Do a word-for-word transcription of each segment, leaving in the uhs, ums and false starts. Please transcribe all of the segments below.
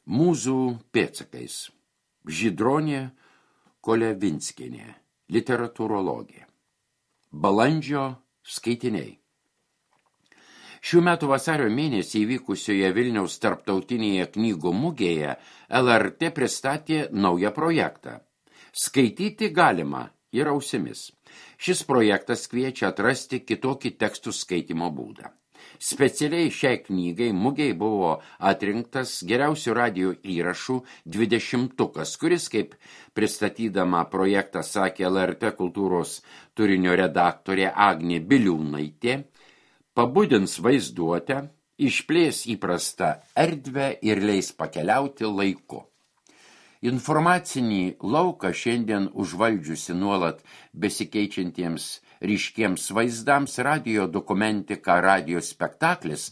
Mūzų pėdsakais. Žydronė Kolevinskienė, literatūrologė. Balandžio skaitiniai. Šių metų vasario mėnesį įvykusioje Vilniaus tarptautinėje knygų mugėje L R T pristatė naują projektą. Skaityti galima ir ausimis. Šis projektas kviečia atrasti kitokį tekstų skaitymo būdą. Specialiai šiai knygai mugei buvo atrinktas geriausių radijo įrašų dvidešimtukas, kuris, kaip pristatydama projektą sakė L R T kultūros turinio redaktorė Agnė Biliūnaitė, pabudins vaizduotę, išplės įprastą erdvę ir leis pakeliauti laiku. Informacinį lauką šiandien užvaldžiusi nuolat besikeičiantiems ryškiems vaizdams radio dokumentika, radio spektaklis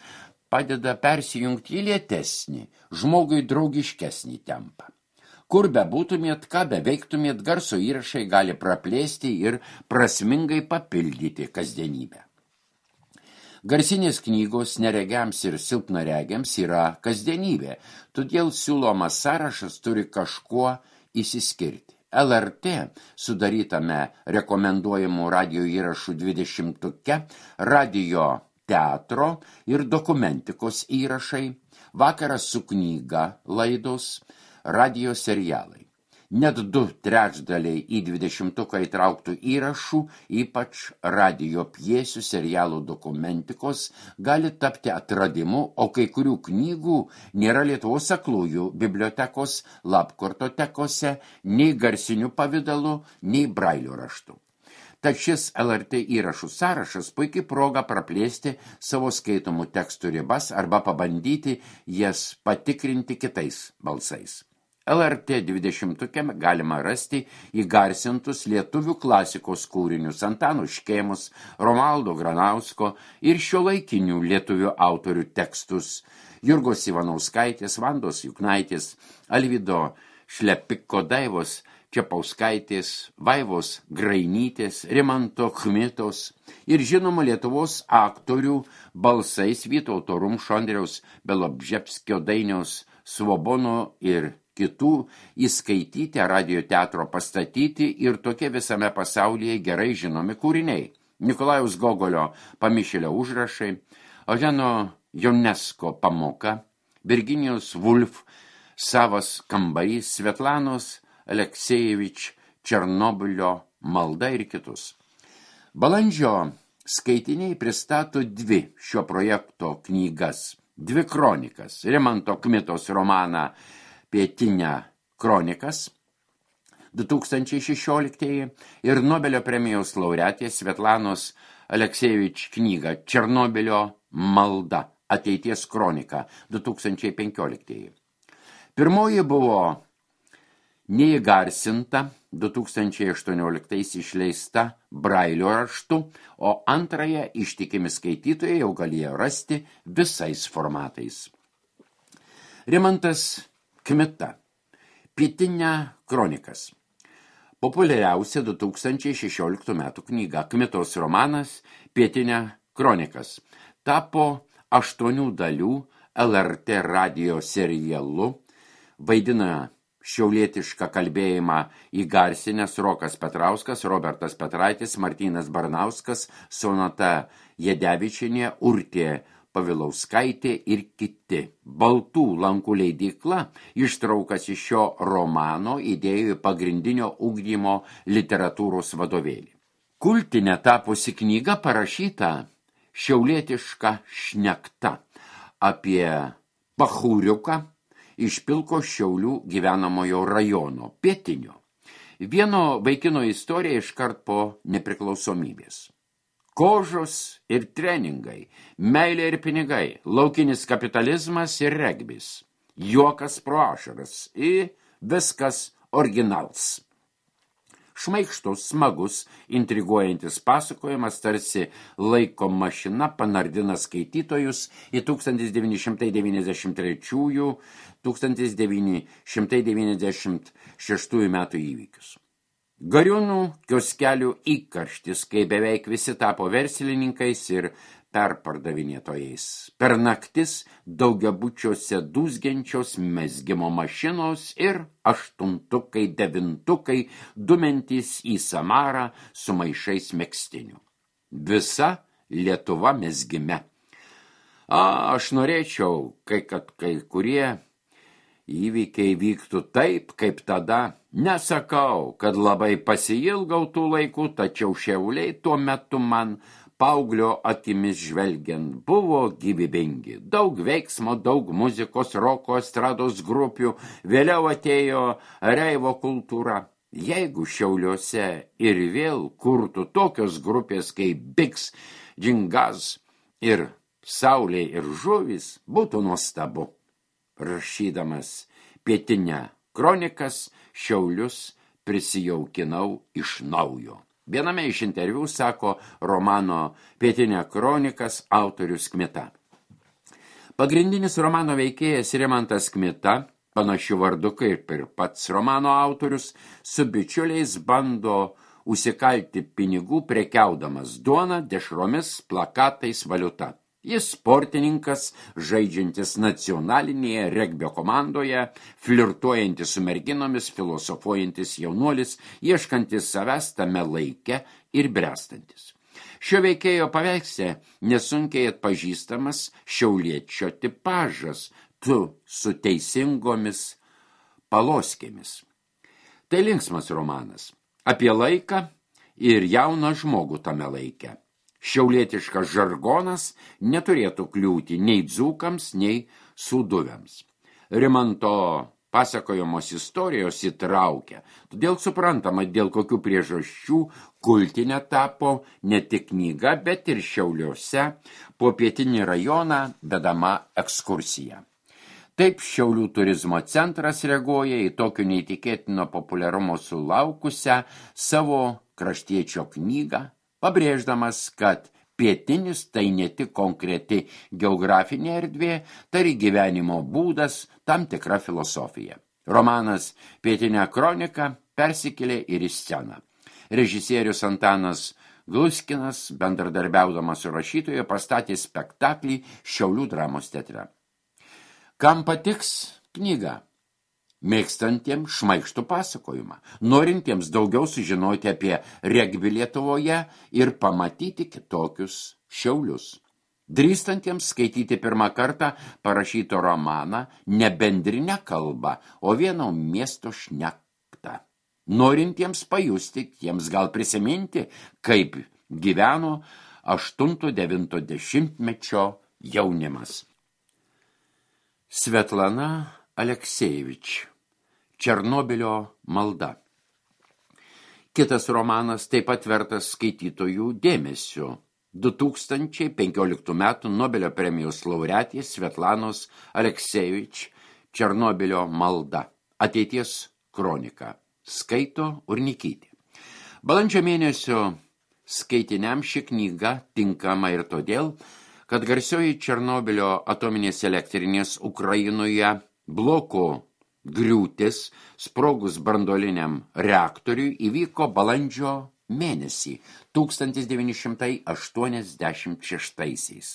padeda persijungti į lėtesnį, žmogui draugiškesnį tempą. Kur be būtumėt, ką be veiktumėt, garso įrašai gali praplėsti ir prasmingai papildyti kasdienybę. Garsinės knygos neregiams ir silpnaregiams yra kasdienybė, todėl siūlomas sąrašas turi kažkuo įsiskirti. L R T sudarytame rekomenduojamų radio įrašų dvidešimtuke radio teatro ir dokumentikos įrašai, vakaras su knyga laidos, radio serialai. Net du trečdaliai į dvidešimtuką įtrauktų įrašų, ypač radio pjesių, serialų dokumentikos, gali tapti atradimu, o kai kurių knygų nėra Lietuvos aklųjų bibliotekos lapkortotekose nei garsinių pavidalų, nei brailio raštų. Tad šis L R T įrašų sąrašas puikiai proga praplėsti savo skaitomų tekstų ribas arba pabandyti jas patikrinti kitais balsais. L R T dvidešimtuke galima rasti įgarsintus lietuvių klasikos kūrinius Antano Škėmos, Romualdo Granausko ir šiuolaikinių lietuvių autorių tekstus Jurgos Ivanauskaitės, Vandos Juknaitės, Alvydo Šlepiko, Daivos Čepauskaitės, Vaivos Grainytės, Rimanto Kmitos ir žinoma Lietuvos aktorių balsais Vytauto Rumšo, Andriaus Belobžepskio, Dainiaus Svobono ir kitų įskaityti radio teatro pastatyti ir tokie visame pasaulyje gerai žinomi kūriniai. Nikolajaus Gogolio Pamišėlio užrašai, Eugeno Ionesco pamoka, Virginijos Woolf Savas kambarys, Svetlanos Aleksiejevič Černobylio malda ir kitus. Balandžio skaitiniai pristato dvi šio projekto knygas, dvi kronikas, Rimanto Kmitos romaną Pietinę kronikas du tūkstančiai šešioliktieji ir Nobelio premijos laureatės Svetlanos Aleksiejevič knygą Černobylio malda, ateities kronika du tūkstančiai penkioliktieji. Pirmoji buvo neįgarsinta du tūkstančiai aštuonioliktais išleista brailio raštu, o antrąją ištikimi skaitytojai jau galėjo rasti visais formatais. Rimantas Kmita, Pietinę kronikas. Populiariausia du tūkstančiai šešioliktų metų knyga, Kmitos romanas Pietinę kronikas, tapo aštuonių dalių L R T radio serialu, vaidina šiaulietišką kalbėjimą įgarsinęs Rokas Petrauskas, Robertas Petraitis, Martynas Barnauskas, Sonata Jedevičienė, Urtė Pavilauskaitė ir kiti. Baltų lankų leidykla ištraukas iš šio romano įdėjo į pagrindinio ugdymo literatūros vadovėlį. Kultinė tapusi knyga parašyta šiaulietiška šnekta apie pachūriuką iš Pilko Šiaulių gyvenamojo rajono, pietinio. Vieno vaikino istorija iškart po nepriklausomybės. Kožos ir treningai, meilė ir pinigai, laukinis kapitalizmas ir regbis, juokas pro ašaras ir viskas originals. Šmaikštus, smagus, intriguojantis pasakojimas tarsi laiko mašina panardina skaitytojus į tūkstantis devyni šimtai devyniasdešimt trečiųjų - tūkstantis devyni šimtai devyniasdešimt šeštųjų metų įvykius. Gariūnų kioskelių įkarštis, kai beveik visi tapo verslininkais ir perpardavinėtojais. Per naktis daugiabučiuose dūzgiančios mezgimo mašinos ir aštuntukai, devintukai dumentys į Samarą su maišais megztinių. Visa Lietuva mezgime. A, aš norėčiau, kai, kad kai kurie įvykiai vyktų taip, kaip tada. Nesakau, kad labai pasiilgau tų laikų, tačiau Šiauliai tuo metu man paauglio akimis žvelgiant buvo gyvybingi. Daug veiksmo, daug muzikos, roko, estrados grupių, vėliau atėjo reivo kultūra. Jeigu Šiauliuose ir vėl kurtų tokios grupės kaip Biks, Džingaz ir Saulė ir žuvys, būtų nuostabu. Rašydamas Pietinę kronikas, Šiaulius prisijaukinau iš naujo. Viename iš interviu sako romano Pietinė kronikas autorius Kmita. Pagrindinis romano veikėjas Rimantas Kmita, panašiu vardu kaip ir pats romano autorius, su bičiuliais bando užsikalti pinigų prekiaudamas duona, dešromis, plakatais, valiuta. Jis sportininkas, žaidžiantis nacionalinėje regbio komandoje, flirtuojantis su merginomis, filosofuojantis jaunuolis, ieškantis savęs tame laike ir brestantis. Šio veikėjo paveiksle nesunkiai atpažįstamas šiauliečio tipažas, tu su teisingomis paloskėmis. Tai linksmas romanas apie laiką ir jauną žmogų tame laike. Šiaulietiškas žargonas neturėtų kliūti nei dzūkams, nei sūduviams. Rimanto pasakojamos istorijos įtraukia, todėl suprantama, dėl kokių priežasčių kultinė tapo ne tik knyga, bet ir Šiauliuose po Pietinį rajoną vedama ekskursija. Taip Šiaulių turizmo centras reaguoja į tokio neįtikėtino populiarumo sulaukusią savo kraštiečio knygą, pabrėždamas, kad pietinis tai ne tik konkreti geografinė erdvė, tai gyvenimo būdas, tam tikra filosofija. Romanas Pietinė kronika persikėlė ir į sceną. Režisierius Antanas Gluskinas, bendradarbiaudamas su rašytoju, pastatė spektaklį Šiaulių dramos teatre. Kam patiks knyga? Mėgstantiems šmaikštų pasakojimą, norintiems daugiau sužinoti apie regbį Lietuvoje ir pamatyti kitokius Šiaulius. Drįstantiems skaityti pirmą kartą parašyto romaną ne bendrinę kalbą, o vieno miesto šnektą. Norintiems pajusti, jiems gal prisiminti, kaip gyveno aštunto devinto dešimtmečio jaunimas. Svetlana Aleksiejevič, Černobylio malda. Kitas romanas taip pat vertas skaitytojų dėmesio. du tūkstančiai penkioliktų metų Nobelio premijos laureatės Svetlanos Aleksiejevič, Černobylio malda. Ateities kronika. Skaito Urnikytė. Balandžio mėnesio skaitiniam ši knyga tinkama ir todėl, kad garsioji Černobylio atominės elektrinės Ukrainoje bloko griūtis sprogus branduoliniam reaktoriui įvyko balandžio mėnesį tūkstantis devyni šimtai aštuoniasdešimt šeštaisiais.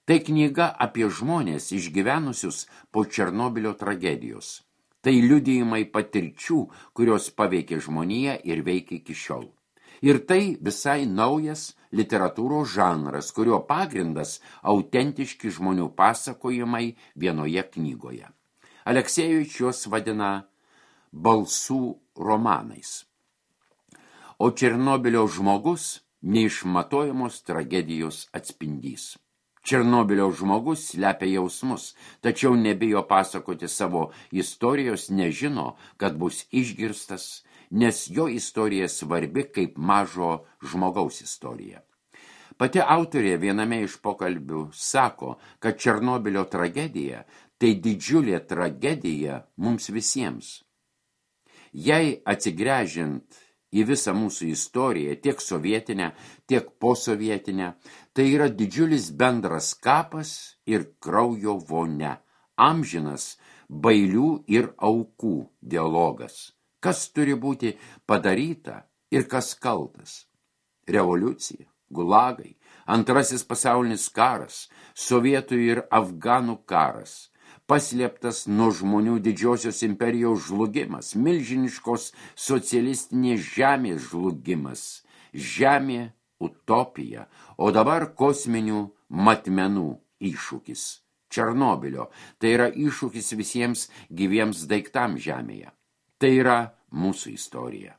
Tai knyga apie žmonės išgyvenusius po Černobylio tragedijos. Tai liudijimai patirčių, kurios paveikė žmoniją ir veikia iki šiol. Ir tai visai naujas literatūros žanras, kurio pagrindas autentiški žmonių pasakojimai vienoje knygoje. Aleksiejevič juos vadina balsų romanais. O Černobylio žmogus neišmatuojamos tragedijos atspindys. Černobylio žmogus slepia jausmus, tačiau nebijo pasakoti savo istorijos, nežino, kad bus išgirstas, nes jo istorija svarbi kaip mažo žmogaus istorija. Pati autorė viename iš pokalbių sako, kad Černobylio tragedija tai didžiulė tragedija mums visiems. Jei atsigręžiant į visą mūsų istoriją, tiek sovietinę, tiek posovietinę, tai yra didžiulis bendras kapas ir kraujo vonia, amžinas bailių ir aukų dialogas. Kas turi būti padaryta ir kas kaltas? Revoliucija, gulagai, Antrasis pasaulinis karas, sovietų ir afganų karas, paslėptas nuo žmonių didžiosios imperijos žlugimas, milžiniškos socialistinės žemės žlugimas, žemė utopija, o dabar kosminių matmenų iššūkis. Černobilio, tai yra iššūkis visiems gyviems daiktams žemėje. Tai yra mūsų istorija.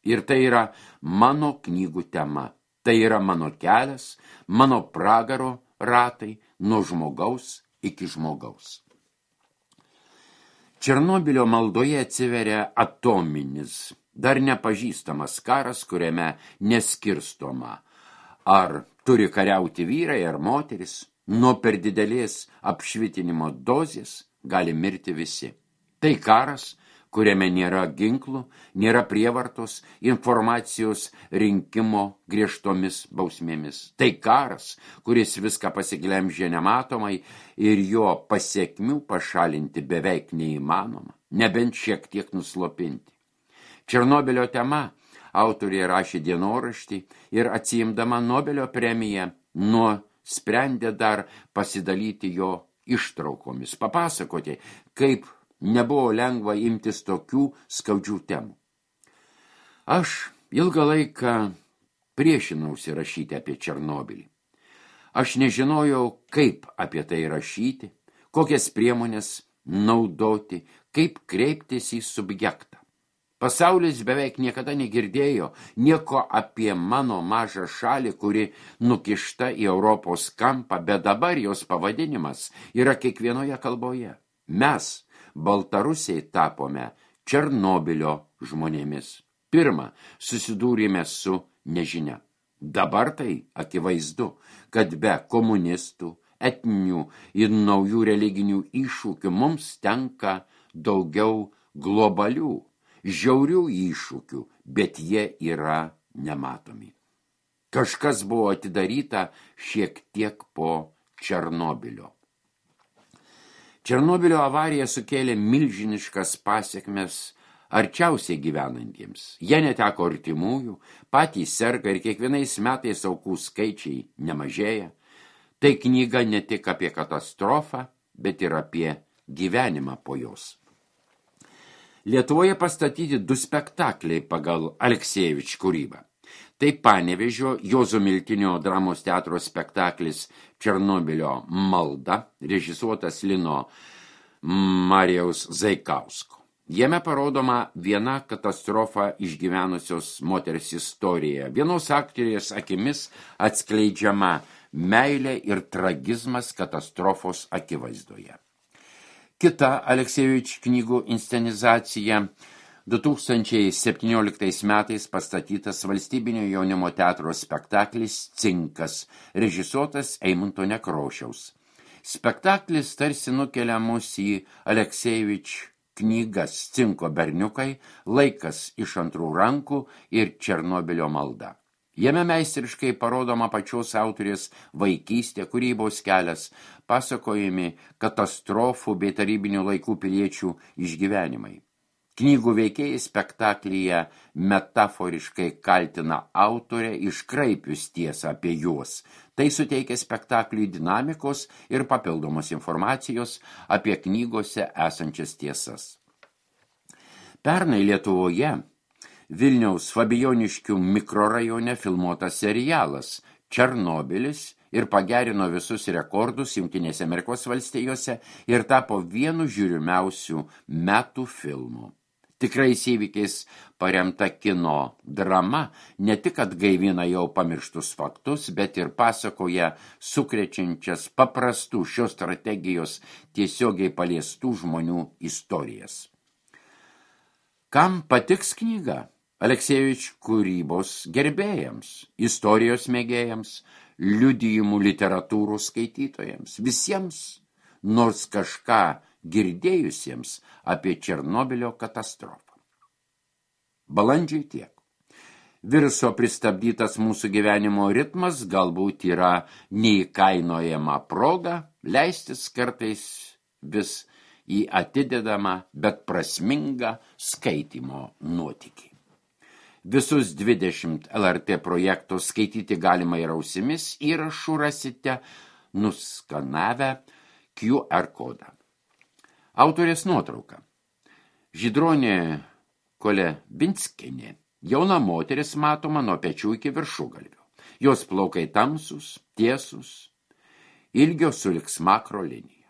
Ir tai yra mano knygų tema. Tai yra mano kelias, mano pragaro ratai nuo žmogaus iki žmogaus. Černobilio maldoje atsiveria atominis, dar nepažįstamas karas, kuriame neskirstoma, ar turi kariauti vyrai ar moteris, nuo per didelės apšvitinimo dozės gali mirti visi. Tai karas, kuriame nėra ginklų, nėra prievartos, informacijos rinkimo griežtomis bausmėmis. Tai karas, kuris viską pasiglemžė nematomai ir jo pasekmių pašalinti beveik neįmanoma, nebent šiek tiek nuslopinti. Černobilio tema autorė rašė dienoraštį ir atsiimdama Nobelio premiją nuo sprendė dar pasidalyti jo ištraukomis, papasakoti, kaip nebuvo lengva imtis tokių skaudžių temų. Aš ilgą laiką priešinausi rašyti apie Černobylį. Aš nežinojau, kaip apie tai rašyti, kokias priemonės naudoti, kaip kreiptis į subjektą. Pasaulis beveik niekada negirdėjo nieko apie mano mažą šalį, kuri nukišta į Europos kampą, bet dabar jos pavadinimas yra kiekvienoje kalboje. Mes, baltarusiai, tapome Černobilio žmonėmis. Pirma, susidūrėme su nežinia. Dabar tai akivaizdu, kad be komunistų, etninių ir naujų religinių iššūkių mums tenka daugiau globalių, žiaurių iššūkių, bet jie yra nematomi. Kažkas buvo atidaryta šiek tiek po Černobilio. Černobilio avarija sukėlė milžiniškas pasekmes arčiausiai gyvenantiems. Jie neteko artimųjų, patys serga ir kiekvienais metais aukų skaičiai nemažėja. Tai knyga ne tik apie katastrofą, bet ir apie gyvenimą po jos. Lietuvoje pastatyti du spektakliai pagal Aleksievič kūrybą. Tai Panevėžio Juozo Miltinio dramos teatro spektaklis Černobilio malda, režisuotas Lino Marijaus Zaikausko. Jame parodoma viena katastrofą išgyvenusios moters istorija. Vienos aktorės akimis atskleidžiama meilė ir tragizmas katastrofos akivaizdoje. Kita Aleksievič knygų inscenizacija du tūkstančiai septynioliktais metais pastatytas Valstybinio jaunimo teatro spektaklis Cinkas, režisuotas Eimunto Nekrošiaus. Spektaklis tarsi nukelia mus į Aleksievič knygas Cinko berniukai, Laikas iš antrų rankų ir Černobilio malda. Jame meistriškai parodoma pačios autorės vaikystė, kūrybos kelias, pasakojami katastrofų bei tarybinių laikų piliečių išgyvenimai. Knygų veikėjai spektaklyje metaforiškai kaltina autorę iškraipius tiesą apie juos. Tai suteikia spektakliui dinamikos ir papildomos informacijos apie knygose esančias tiesas. Pernai Lietuvoje Vilniaus Fabijoniškių mikrorajone filmuotas serialas Černobilis ir pagerino visus rekordus Jungtinėse Amerikos valstijose ir tapo vienu žiūrimiausių metų filmų. Tikrais įvykiais paremta kino drama ne tik atgaivina jau pamirštus faktus, bet ir pasakoja sukrečiančias paprastų šios strategijos tiesiogiai paliestų žmonių istorijas. Kam patiks knyga? Aleksievič kūrybos gerbėjams, istorijos mėgėjams, liudijimų literatūrų skaitytojams, visiems, nors kažką girdėjusiems apie Černobilio katastrofą. Balandžiai tiek. Viruso pristabdytas mūsų gyvenimo ritmas galbūt yra neįkainojama proga leistis kartais vis į atidedamą, bet prasmingą skaitymo nuotykį. Visus dvidešimt L R T projektų skaityti galima ir ausimis, įrašų rasite nuskanavę Q R kodą. Autorės nuotrauka. Žydronė Kolebinskienė. Jauna moteris matoma nuo pečių iki viršugalvio. Jos plaukai tamsus, tiesus, ilgio sulig smakro linija.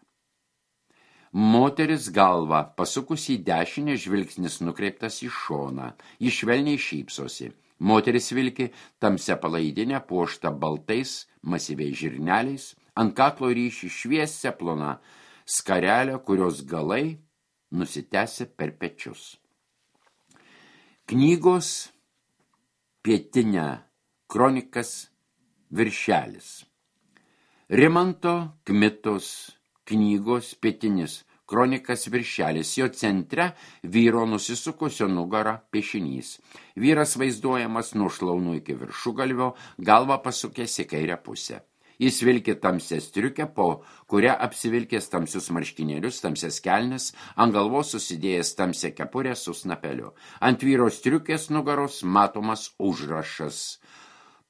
Moteris galva pasukus į dešinę, žvilgsnis nukreiptas į šoną. Ji švelniai šypsosi. Moteris vilki tamsia palaidinė puošta baltais masyviais žirneliais, ant kaklo ryši šviesia plona skarelė, kurios galai nusitęsia per pečius. Knygos Pietinė kronikas viršelis. Rimanto Kmitos knygos Pietinis kronikas viršelis. Jo centre vyro nusisukusio nugarą piešinys. Vyras vaizduojamas nuo šlaunų iki viršugalvio, galva pasukęs į kairę pusę. Jis vilki tamsią striukę, po kurią apsivilkęs tamsius marškinėlius, tamsias kelnes, ant galvos susidėjęs tamsią kepurę su snapeliu. Ant vyro striukės nugaros matomas užrašas.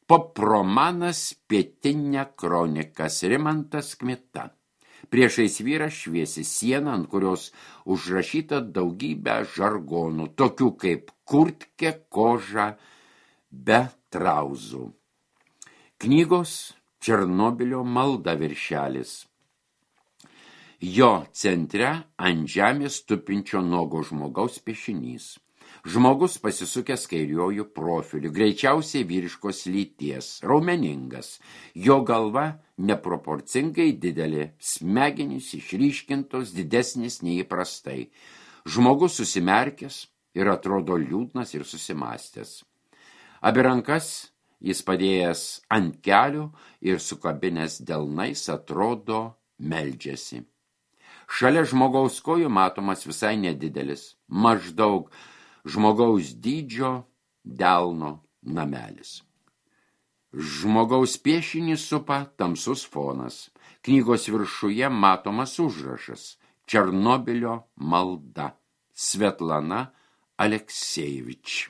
Popromanas Pietinė kronikas Rimantas Kmita. Priešais vyrą šviesi siena, ant kurios užrašyta daugybė žargonų, tokių kaip kurtkė, koža, be trauzų. Knygos Černobilio malda viršelis. Jo centre ant žemės tupinčio nuogo žmogaus piešinys. Žmogus pasisukęs kairiuoju profiliu, greičiausiai vyriškos lyties, raumeningas. Jo galva neproporcingai didelė, smegenys išryškintos, didesnis nei įprastai. Žmogus susimerkęs ir atrodo liūdnas ir susimastęs. Abi rankas jis padėjęs ant kelių ir sukabinęs delnais atrodo meldžiasi. Šalia žmogaus kojų matomas visai nedidelis, maždaug žmogaus dydžio delno namelis. Žmogaus piešinį supa tamsus fonas. Knygos viršuje matomas užrašas Černobilio malda. Svetlana Aleksiejevič.